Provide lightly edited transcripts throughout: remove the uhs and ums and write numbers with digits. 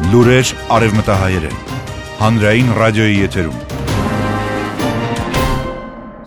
Լուրեր արևմտահայերեն։ Հանրային ռադիոյի եթերում։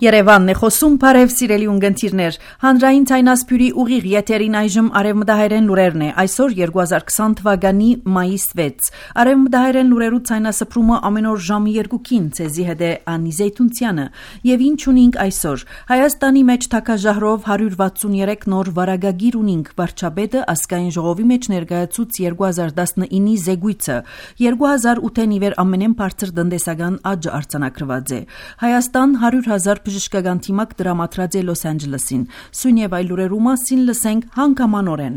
Երևանն է խոսում, բարև սիրելի ունգընտիրներ, հանրային ցայնասպյուրի ուղիղ եթերին այժմ արևմտահայերեն լուրերն է, այսօր 2020 թվականի մայիս 6, արևմտահայերեն լուրերու ցայնասպրումը ամեն օր ժամի 2-ին, ցեզի հետ է Անի Զեյթունցյանը, եւ ինչ ունենք այսօր, Հայաստանի մեջ թակաժահրով 163 նոր վարագագիր ունենք, վարչապետը ազգային ժողովի մեջ ներկայացուց 2019-ի զեկույցը, 2008-ին իվեր ամենեն բարձր տնտեսական աճը արձանագրված է, Հայաստան 100,000 բժշկական թիմակ դրամատրած է Լոս Անջելեսին։ Սույն եւ այլ լուրերու մասին լսենք հանգամանորեն։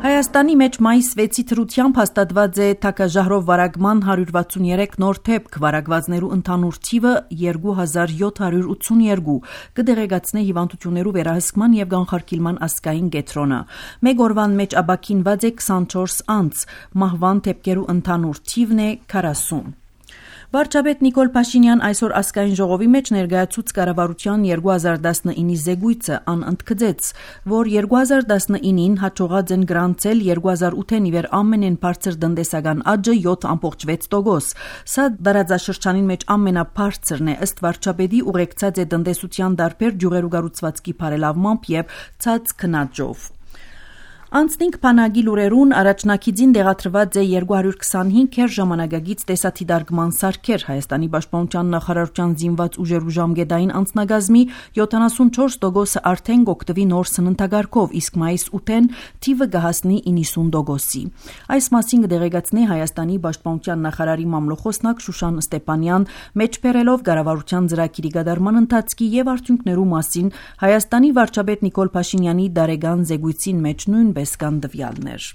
Հայաստանի մեջ մայիս 6-ի թրությամբ հաստատված է թակաժահրով վարագման 163 նոր դեպք, վարագվածներու ընդհանուր թիվը 2782, կդեղեկացնե հիվանդություններու վերահսկման եւ կանխարգելման ազգային կենտրոնը։ Մեկ օրվան մեջ աբակինված է 24 անձ, մահվան դեպքերու ընդհանուր թիվն է 40։ Վարչապետ Նիկոլ Փաշինյան այսօր ազգային ժողովի մեջ ներկայացուց կառավարության 2019-ի զեկույցը անընդգծեց, որ 2019-ին հաջողած են գրանցել 2008-ին իվեր ամենեն բարձր տնտեսական աճը 7.6%։ Սա դարաձաշրջանին մեջ ամենաբարձրն է ըստ վարչապետի ուղեկցած է տնտեսության դարբեր ջուղերու կառուցվածքի բարելավմամբ եւ ցած քննաջով։ Անցնինք բանակի լուրերուն առաջնակիցին դեղատրված է 225 հեր ժամանակագից տեսաթիդարգման սարքեր Հայաստանի պաշտպանության նախարարության զինված ուժերու ժամկետային անձնագազմի 74% արդեն կօգտվի նոր սննդակարգով, իսկ մայիս 8-ին թիվը կհասնի 90%-ի։ Այս մասին կդեղեկացնի Հայաստանի պաշտպանության նախարարի մամլոխոսնակ Շուշան Ստեփանյան, մեջբերելով կառավարության ծրագիրի կատարման ընթացքի եւ արդյունքներու մասին Հայաստանի վարչապետ Նիկոլ Փաշինյանի դարեգան զեկույցին մեջ նույնպես կան տվյալներ։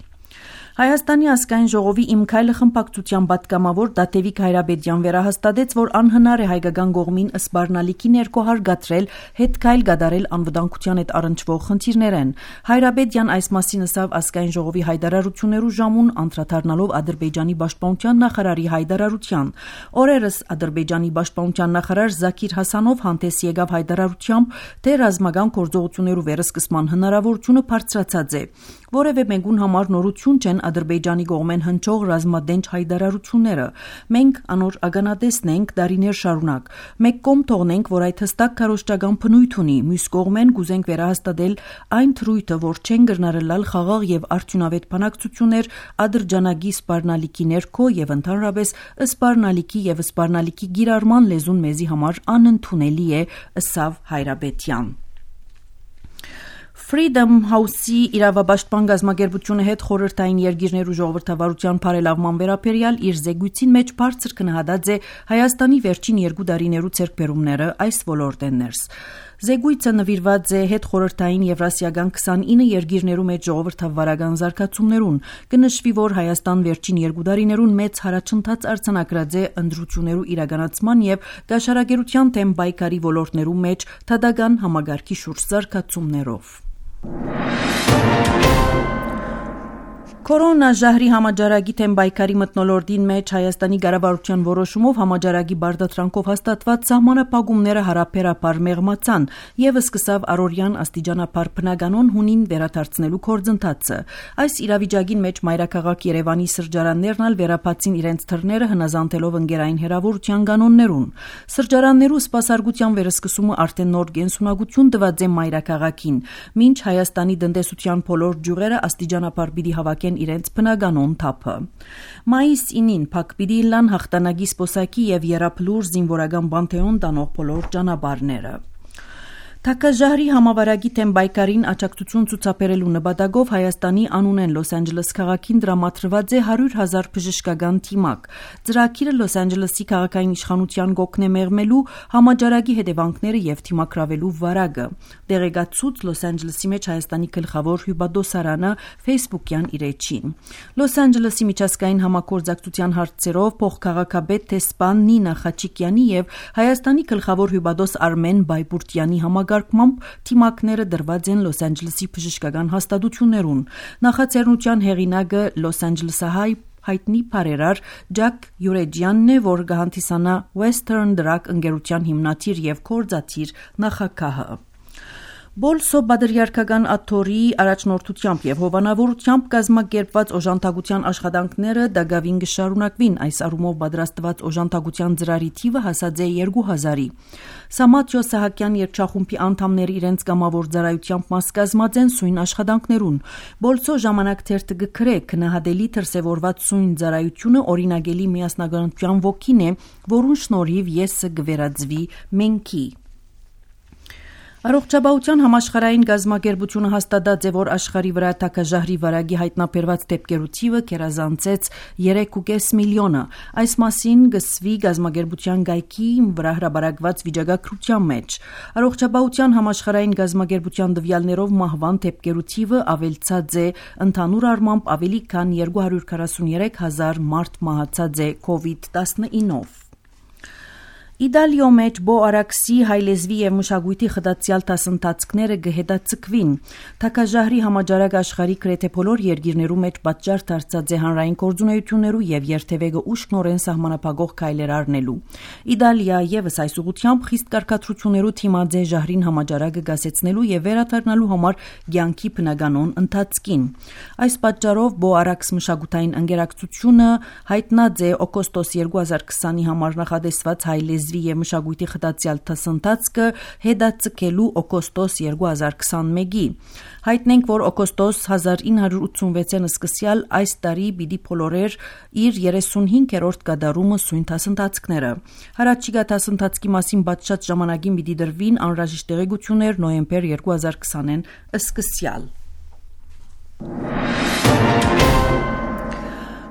Հայաստանի ազգային ժողովի Իմ քայլը խմբակցության պատգամավոր Դաթևիկ Հայրաբեդյան վերահաստատեց, որ անհնար է հայկական կողմին սպառնալիքի ներքո հարգադրել հետ քայլ կատարել անվտանգության հետ առնչվող խնդիրներեն։ Հայրաբեդյան այս մասին ասավ ազգային ժողովի հայտարարություններու ժամուն անդրադառնալով Ադրբեջանի պաշտպանության նախարարի հայտարարության։ Օրերս Ադրբեջանի պաշտպանության նախարար Զաքիր Հասանով հանդես եկավ հայտարարությամբ, թե ռազմական գործողություններու վերսկսման հնարավորությունը բարձրացած է։ Որևէ մեկուն համար նորություն չեն Ադրբեջանի կողմեն հնչող ռազմադենչ հայտարարությունները։ Մենք անոր ագանատեսն ենք դարիներ շարունակ։ Մեկ կողմ թողնենք, որ այդ հստակ քարոզչական բնույթ ունի, մյուս կողմեն կուզենք վերահաստատել այն թրույթը, որ չեն գրնարելալ խաղաղ եւ արդյունավետ բանակցություններ ադրջանագի սպառնալիքի ներքո եւ ընդհանրապես սպառնալիքի եւ սպառնալիքի գիրառման լեզուն մեզի համար անընդունելի է, ըսավ Հայրաբեդյան։ Freedom House-ի իրավապաշտպան գազམ་ակերպությունը հետ խորհրդային երկիրներու ժողովրդավարության բարելավման վերաբերյալ իր զեկույցին մեջ բարձր քննադատած է Հայաստանի վերջին 2 տարիներու ցերկբերումները այս ոլորտեն ներս։ Զեկույցը նվիրված է հետ խորհրդային եվրասիական 29 երկիրներու մեջ ժողովրդավարական զարգացումներուն։ Կնշվի, որ Հայաստան վերջին 2 տարիներուն մեծ հարաճընթաց արձանագրած է ընտրություններու իրականացման եւ գաշարագերության թեմ պայքարի ոլորտներու մեջ թադական համագարկի շուրջ զարգացումներով։ Կորոնաժահրի համաճարակի թեմ պայքարի մթնոլորտին մեջ Հայաստանի կառավարության որոշումով համաճարակի բարդատրանքով հաստատված սահմանափակումները հարաբերաբար մեղմացան եւ սկսավ առօրյան աստիճանաբար բնականon հունին վերադարձնելու գործընթացը։ Այս իրավիճակին մեջ մայրաքաղաք Երևանի սրճարաններն ալ վերապացին իրենց թռները հնազանդելով ընկերային հերավորության կանոններուն։ Սրճարաններու սպասարկության վերսկսումը արդեն նոր կենսունակություն տված է մայրաքաղաքին, մինչ Հայաստանի տնտեսության բոլոր ջուրերը աստիճանաբար պիտի հավաքեն իրենց բնականon թափը։ Մայիս 9-ին փակ պիտի լան հաղթանակի սպոսակի եւ երապլուր զինվորական բանթեոն տանող բոլոր ճանապարհները։ Թակաժահրի համավարակի թեմ պայքարին աջակցություն ցուցաբերելու նպատակով Հայաստանի անունեն Լոս Անջելես քաղաքին դրամատրված է 100,000 բժշկական թիմակ։ Ծրագիրը Լոս Անջելեսի քաղաքային իշխանության կօգնե մեղմելու համաճարակի հետևանքները եւ թիմակրավելու վարակը։ Դեղեկացուց Լոս Անջելեսի մեջ Հայաստանի գլխավոր հյուպատոսարանը Facebook-յան իր էջին։ Լոս Անջելեսի միջազգային համագործակցության հարցերով փոխքաղաքապետ տեսփան Նինա Խաչիկյանի եւ Հայաստանի գլխավոր հյուպատոս Արմեն Բայբուրտյանի համագարկմամբ թիմակները դրված են Լոս Անջելեսի բժշկական հաստատություններուն։ Նախաձեռնության հեղինակը Լոս Անջելեսահայ հայտնի բարերար Ջակ Յուրեջյանն է, որ կհանդիսանա Western Drug ընկերության հիմնադիր եւ գործադիր նախագահը։ Բոլսո բادرյարքական աթոռի առաջնորդությամբ եւ հովանավորությամբ կազմակերպված օժանդակության աշխատանքները դակավին կշարունակվին։ Այս առումով պատրաստված օժանդակության ծրարի թիվը հասած է 2000-ի։ Սամաթյո Սահակյան երգչախումբի անդամները իրենց կամավոր ծառայությամբ մաս կազմած են սույն աշխատանքներուն։ Բոլսո ժամանակ թերթը գկրե քնահատելի դրսևորված սույն ծառայությունը օրինագելի միասնականության ոգին է, որուն շնորհիվ եսը կվերածվի մենքի։ Առողջապահության համաշխարհային գազམ་ակերպությունը հաստատած է, որ աշխարհի վրա թակաժահրի վարակի հայտնաբերված դեպքերու թիվը կերազանցեց 3.5 միլիոնը։ Այս մասին գսվի գազམ་ակերպության գայքի վրա հրապարակված վիճակագրության մեջ։ Առողջապահության համաշխարհային գազམ་ակերպության տվյալներով մահվան դեպքերու թիվը ավելցած է, ընդհանուր առմամբ ավելի քան 243,000 մարդ մահացած է COVID-19-ով։ Իտալիո մեջ բոարաքսի հայլեզվի եւ մշակույթի խտացյալ դասընթացքները կհետաձգվին։ Թակաժահրի համաճարակ աշխարհի գրեթե բոլոր երկիրներու մեջ պատճառ դարձած է հանրային գործունեություններու եւ երթևեկը ուշքնորեն սահմանափակող քայլեր առնելու։ Իտալիա եւս այս ուղղությամբ խիստ կարգադրություններու թիմած է ժահրին համաճարակը գասեցնելու եւ վերադառնալու համար ցանկի բնականոն ընթացքին։ Այս պատճառով բոարաքս մշակութային ընկերակցությունը հայտնած է օգոստոս 2020-ի համար նախադեсված հայլեզ եւ մշակույթի խտացյալ դասընթացքը հետաձգելու օգոստոս 2021-ի։ Հայտնենք, որ օգոստոս 1986-ին սկսյալ այս տարի պիտի փոլորեր իր 35-րդ կատարումը սույն դասընթացքները։ Հարաճիգա դասընթացքի մասին բացած ժամանակին պիտի դրվին անհրաժեշտ տեղեկություններ նոյեմբեր 2020-ին սկսյալ։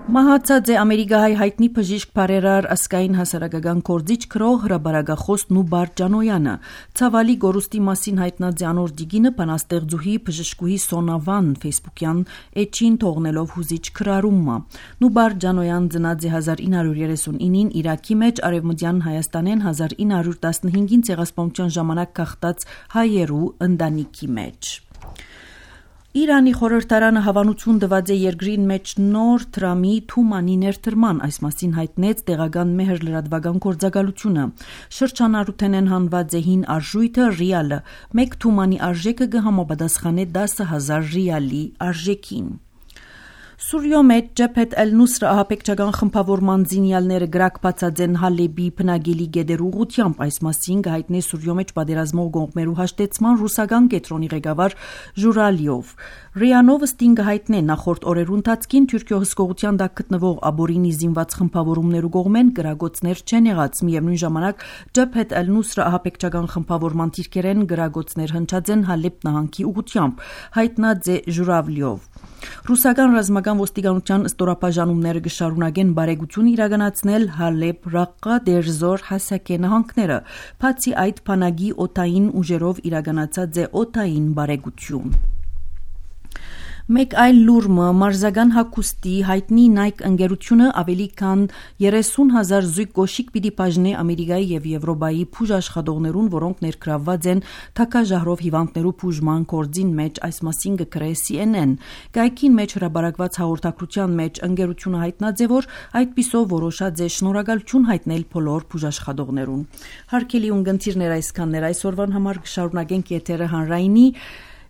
Մահացած է ամերիկահայ հայտնի բժիշկ բարերար ասկային հասարակական գործիչ քրող հրաբարագախոս Նուբար Ջանոյանը։ Ցավալի գորուստի մասին հայտնած է անոր դիգինը բանաստեղծուհի բժշկուհի Սոնավան ֆեյսբուքյան էջին թողնելով հուզիչ քրարումը։ Նուբար Ջանոյան ծնած է 1939-ին Իրաքի մեջ, արևմտյան Հայաստանեն 1915-ին ցեղասպանության ժամանակ գաղթած հայերու ընտանիքի մեջ։ Իրանի խորհրդարանը հավանություն տված է երկրին մեջ նոր դրամի Թումանի ներդրման, այս մասին հայտնեց տեղական մեհր լրատվական գործակալությունը։ Շրջանառութենեն հանված է հին արժույթը ռիալը, մեկ Թումանի արժեքը կհամապատասխանե 10,000 ռիալի արժեքին։ Սուրիո մեջ Ջեփեթ Էլ-Նուսրը ահաբեկչական խմբավորման զինյալները գրակբացած են Հալեբի բնագելի գետերու ուղությամբ, այս մասին կհայտնի Սուրիո մեջ պատերազմող կողմերու հաշտեցման ռուսական կենտրոնի ղեկավար Ժուրալիով։ Ռիանովը ստինգը հայտնե նախորդ օրերու ընթացքին Թուրքիո հսկողության տակ գտնվող Աբորինի զինված խմբավորումներու կողմեն գրագոցներ չեն եղած, միևնույն ժամանակ Ջեփեթ Էլ-Նուսրը ահաբեկչական խմբավորման դիրքերեն գրագոցներ հնչած են Հալեբ նահանգի ուղությամբ, հայտնած է Ժուրավլիով։ Ռուսական ռազմական ոստիկանության ստորապաժանումները կշարունակեն բարեգություն իրականացնել Հալեբ, Ռաղկա, Դերզոր, Հասակե նահանգները։ Բացի այդ, բանակի օդային ուժերով իրականացած է օդային բարեգություն։ Մեկ այլ լուրմը մարզական հագուստի հայտնի Nike ընկերությունը ավելի քան 30,000 զույգ գոշիկ պիտի բաժնի Ամերիկայի եւ Եվրոպայի բուժ աշխատողներուն, որոնք ներգրավված են թակաժահրով հիվանդներու բուժման գործին մեջ, այս մասին կգրե CNN։ Գայքին մեջ հրապարակված հաղորդակցության մեջ ընկերությունը հայտնած է, որ այդպիսով որոշած է շնորհակալություն հայտնել բոլոր բուժաշխատողներուն։ Հարգելի ունգընտիրներ, այսքաններ այսօրվան համար կշարունակենք եթերը հանրայինի։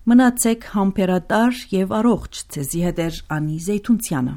Մնացեք համբերատար եւ առողջ, ցեզի հետ Անի Զեյթունցյանը։